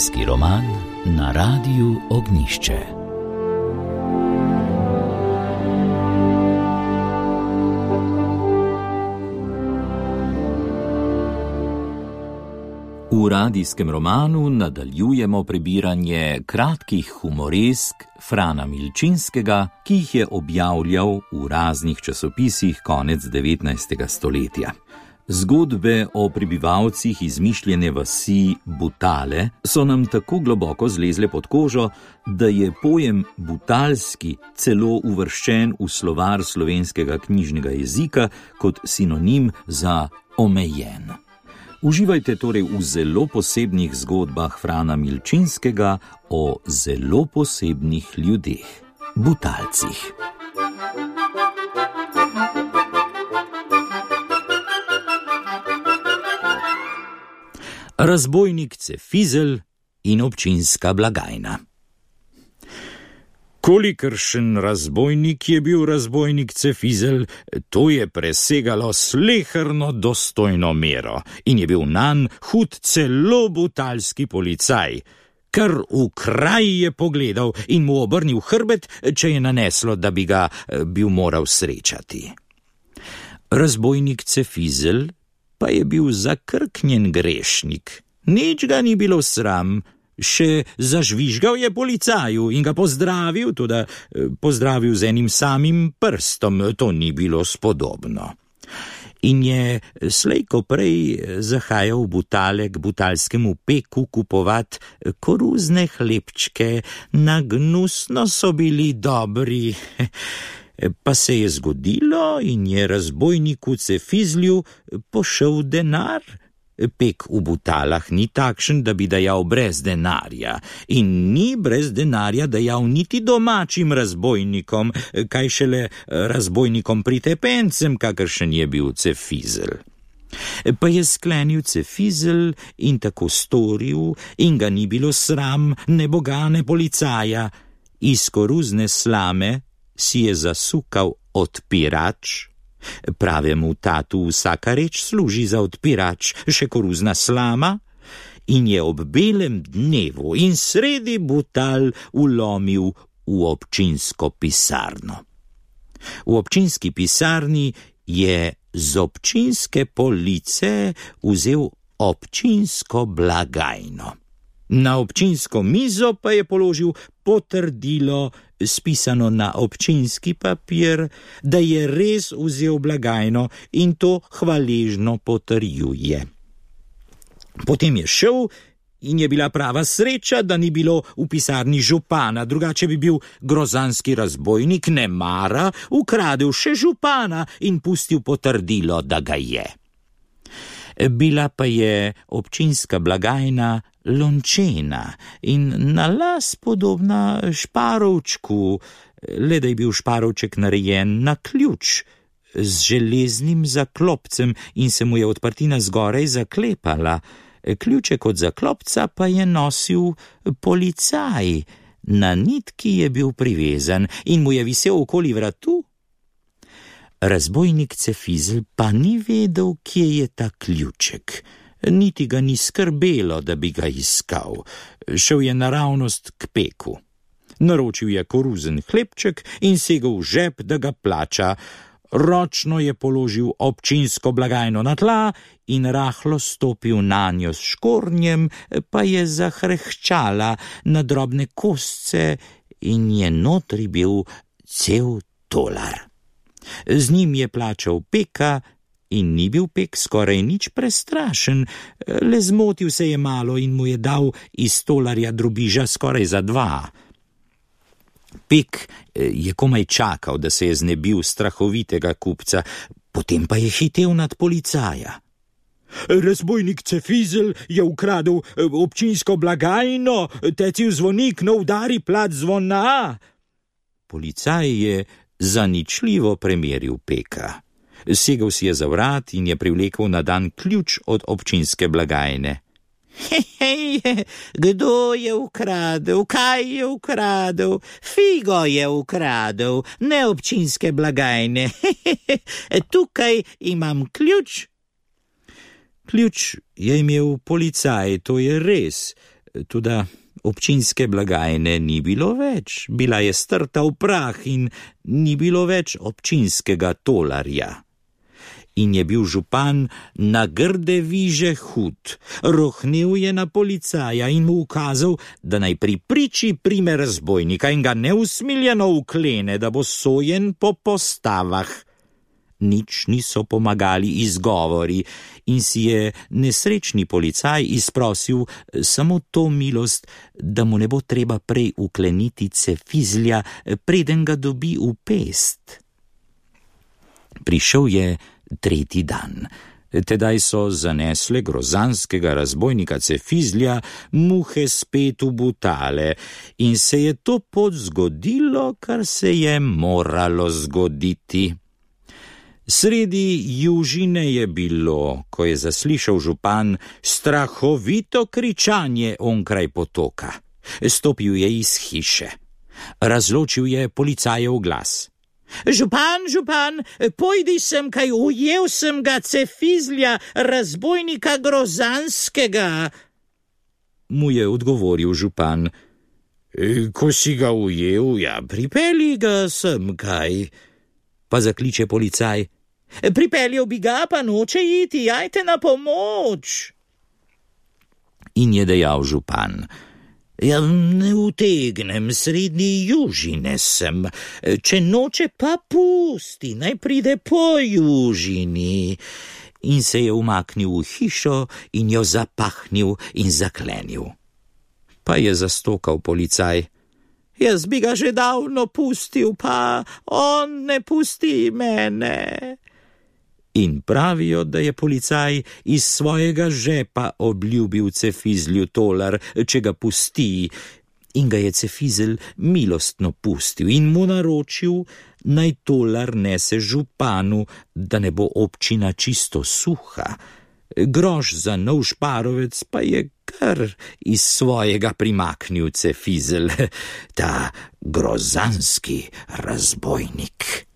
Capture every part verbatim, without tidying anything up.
Radijski roman na Radiu Ognjišče. V radijskem romanu nadaljujemo prebiranje kratkih humoresk Frana Milčinskega, ki jih je objavljal v raznih časopisih konec devetnajstega stoletja. Zgodbe o prebivalcih izmišljene vasi Butale so nam tako globoko zlezle pod kožo, da je pojem butalski celo uvrščen v slovar slovenskega knjižnega jezika kot sinonim za omejen. Uživajte torej v zelo posebnih zgodbah Frana Milčinskega o zelo posebnih ljudeh, butalcih. Razbojnik Cefizelj in občinska blagajna. Kolikršen razbojnik je bil razbojnik Cefizelj, to je presegalo sleherno dostojno mero in je bil nanj hud celo butalski policaj, kar v kraj je pogledal in mu obrnil hrbet, če je naneslo, da bi ga bil moral srečati. Razbojnik Cefizelj pa je bil zakrknjen grešnik, nič ga ni bilo sram, še zažvižgal je policaju in ga pozdravil, toda pozdravil z enim samim prstom, to ni bilo spodobno. In je slej ko prej zahajal v Butale k butalskemu peku kupovat koruzne hlebčke, na gnusno so bili dobri. Pa se je zgodilo in je razbojniku Cefizlju pošel denar. Pek v Butalah ni takšen, da bi dajal brez denarja in ni brez denarja dajal niti domačim razbojnikom, kaj šele razbojnikom pritepencem, kakršen je bil Cefizelj. Pa je sklenil Cefizelj in tako storil in ga ni bilo sram ne boga ne policaja. Iz koruzne slame si je zasukal odpirač, pravemu tatu vsaka reč služi za odpirač, še koruzna slama, in je ob belem dnevu in sredi Butal vlomil v občinsko pisarno. V občinski pisarni je z občinske police vzel občinsko blagajno. Na občinsko mizo pa je položil potrdilo, spisano na občinski papir, da je res vzel blagajno in to hvaležno potrjuje. Potem je šel in je bila prava sreča, da ni bilo v pisarni župana, drugače bi bil grozanski razbojnik nemara ukradel še župana in pustil potrdilo, da ga je. Bila pa je občinska blagajna lončena in na las podobna šparovčku, le da je bil šparovček narejen na ključ z železnim zaklopcem in se mu je odprtina zgoraj zaklepala. Ključek od zaklopca pa je nosil policaj, na nitki je bil privezan in mu je visel okoli vratu. Razbojnik Cefizelj pa ni vedel, kje je ta ključek, niti ga ni skrbelo, da bi ga iskal. Šel je naravnost k peku. Naročil je koruzen hlebček in segel v žep, da ga plača. Ročno je položil občinsko blagajno na tla in rahlo stopil nanjo s škornjem, pa je zahrehčala na drobne kosce in je notri bil cel tolar. Z njim je plačal peka in ni bil pek skoraj nič prestrašen, le zmotil se je malo in mu je dal iz tolarja drobiža skoraj za dva. Pek je komaj čakal, da se je znebil strahovitega kupca, potem pa je hitel nad policaja. Razbojnik Cefizelj je ukradel občinsko blagajno, tecil zvonik, no udari plat zvona. Policaj je zaničljivo premeril peka. Segel si je za vrat in je privlekel na dan ključ od občinske blagajne. Hej, hej, kdo je ukradel, kaj je ukradel? Figo je ukradel, ne občinske blagajne. Tukaj imam ključ. Ključ je imel policaj, to je res, Toda občinske blagajne ni bilo več, bila je strta v prah in ni bilo več občinskega tolarja. In je bil župan na grde viže hud, rohnel je na policaja in mu ukazal, da naj pri priči prime razbojnika in ga neusmiljeno uklene, da bo sojen po postavah. Nič niso pomagali izgovori in si je nesrečni policaj izprosil samo to milost, da mu ne bo treba prej ukleniti cefizlja, preden ga dobi v pest. Prišel je tretji dan. Tedaj so zanesle grozanskega razbojnika cefizlja muhe spet v butale in se je to pot zgodilo, kar se je moralo zgoditi. Sredi južine je bilo, ko je zaslišal župan strahovito kričanje onkraj potoka. Stopil je iz hiše. Razločil je policajev glas. Župan, župan, pojdi sem, kaj ujel sem ga cefizlja, razbojnika grozanskega. Mu je odgovoril župan. Ko si ga ujel, ja, pripelji ga sem, kaj. Pa zakliče policaj. Pripeljal bi ga, pa noče iti, jajte na pomoč. In je dejal župan. Ja, ne utegnem, srednji južine sem, če noče pa pusti, naj pride po južini. In se je umaknil v hišo in jo zapahnil in zaklenil. Pa je zastokal policaj. Jaz bi ga že davno pustil, pa on ne pusti mene. In pravijo, da je policaj iz svojega žepa obljubil cefizlju tolar, če ga pusti, in ga je cefizelj milostno pustil in mu naročil, naj tolar nese županu, da ne bo občina čisto suha. Groš za nov šparovec pa je kar iz svojega primaknil cefizelj, ta grozanski razbojnik.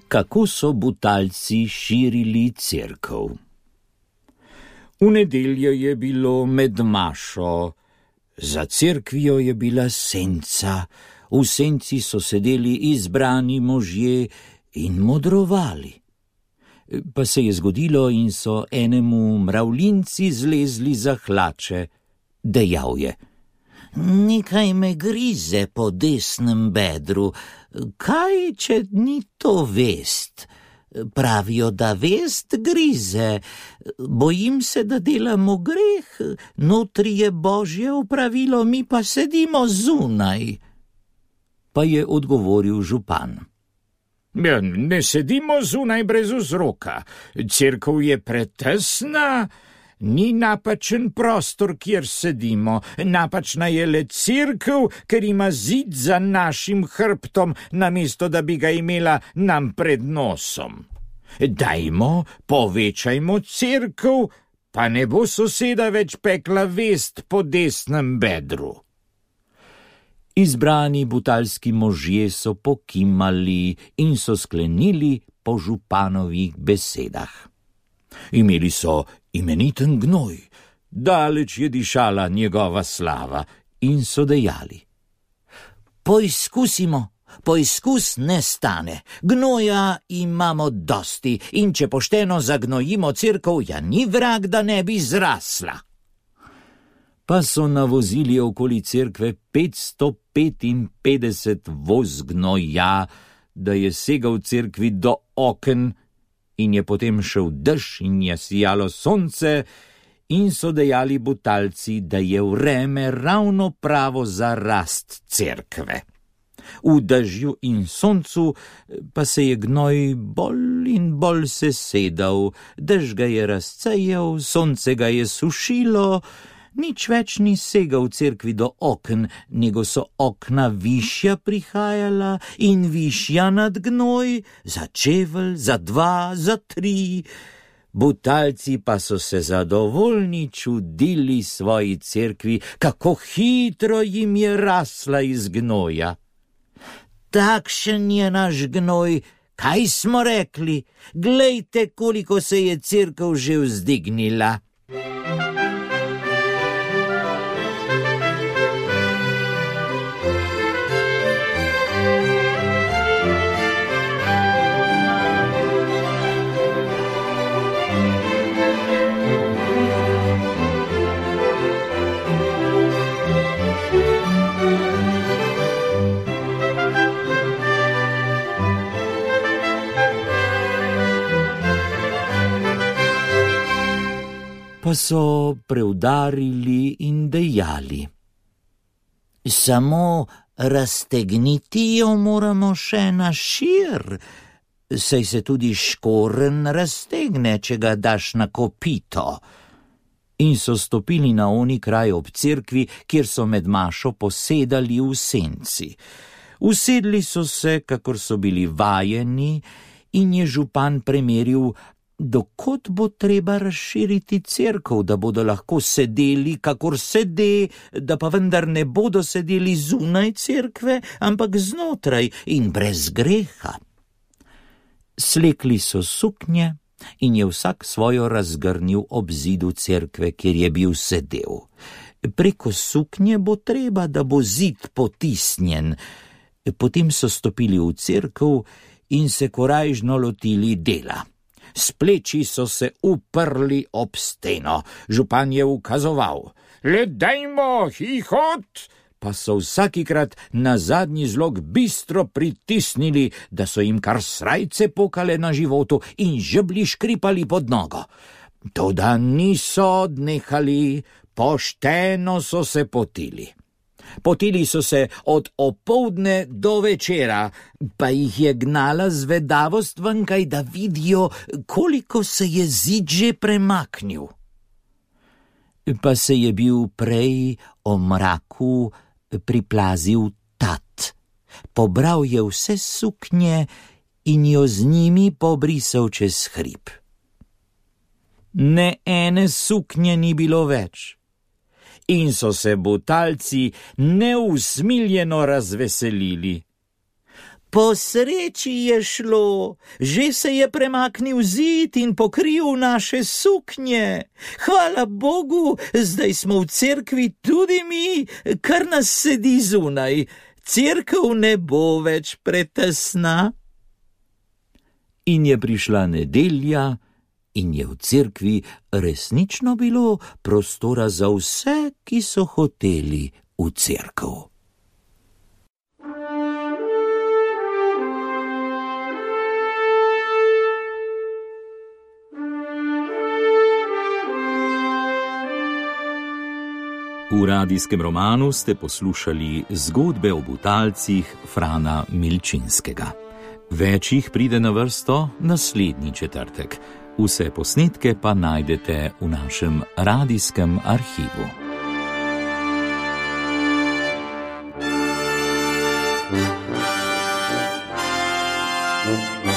Kako so Butalci širili cerkev. V nedeljo je bilo med mašo, za cerkvijo je bila senca, v senci so sedeli izbrani možje in modrovali. Pa se je zgodilo in so enemu mravljinci zlezli za hlače, dejal je. Nekaj me grize po desnem bedru, kaj, če ni to vest? Pravijo, da vest grize, bojim se, da delamo greh, notri je Božje opravilo, mi pa sedimo zunaj. Pa je odgovoril župan. Ja, ne sedimo zunaj brez vzroka, cerkev je pretesna, ni napačen prostor, kjer sedimo, napačna je le cerkev, ker ima zid za našim hrbtom, namesto da bi ga imela nam pred nosom. Dajmo, povečajmo cerkev, pa ne bo soseda več pekla vest po desnem bedru. Izbrani butalski možje so pokimali in so sklenili po županovih besedah. Imeli so imeniten gnoj, daleč je dišala njegova slava in so dejali. Poizkusimo, poizkus ne stane, gnoja imamo dosti in če pošteno zagnojimo cerkev, ja ni vrag, da ne bi zrasla. Pa so navozili okoli cerkve petsto petinpetdeset voz gnoja, da je segal cerkvi do oken, in je potem šel dež in je sijalo sonce in so dejali Butalci, da je vreme ravno pravo za rast cerkve. V dežju in soncu pa se je gnoj bolj in bolj sesedal, dež ga je razcejal, sonce ga je sušilo, Nič več ni segal v cerkvi do okn, nego so okna višja prihajala in višja nad gnoj, za čevelj, za dva, za tri. Butalci pa so se zadovoljni čudili svoji cerkvi, kako hitro jim je rasla iz gnoja. Takšen je naš gnoj, kaj smo rekli, glejte, koliko se je cerkev že vzdignila. Pa so preudarili in dejali: samo raztegniti jo moramo še na šir, saj se tudi škoren raztegne, če ga daš na kopito. In so stopili na oni kraj ob cerkvi, kjer so med mašo posedali v senci. Usedli so se, kakor so bili vajeni, in je župan premeril, dokot bo treba razširiti cerkev, da bodo lahko sedeli, kakor sede, da pa vendar ne bodo sedeli zunaj cerkve, ampak znotraj in brez greha. Slekli so suknje in je vsak svojo razgrnil ob zidu cerkve, kjer je bil sedel. Preko suknje bo treba, da bo zid potisnjen. Potem so stopili v cerkev in se korajžno lotili dela. S pleči so se uprli ob steno. Župan je ukazoval: le dajmo, hihot! Pa so vsakikrat na zadnji zlog bistro pritisnili, da so jim kar srajce pokale na životu in žebli škripali pod nogo. Toda niso odnehali, pošteno so se potili. Potili so se od opoldne do večera, pa jih je gnala zvedavost venkaj, da vidijo, koliko se je zid že premaknil. Pa se je bil prej o mraku priplazil tat. Pobral je vse suknje in jo z njimi pobrisal čez hrib. Ne ene suknje ni bilo več. In so se butalci neusmiljeno razveselili. Po sreči je šlo, že se je premaknil zid in pokril naše suknje. Hvala Bogu, zdaj smo v cerkvi tudi mi, kar nas sedi zunaj. Cerkev ne bo več pretesna. In je prišla nedelja, in je v cerkvi resnično bilo prostora za vse, ki so hoteli v cerkev. V radijskem romanu ste poslušali zgodbe o butalcih Frana Milčinskega. Več jih pride na vrsto naslednji četrtek. Vse posnetke pa najdete v našem radijskem arhivu. Thank you.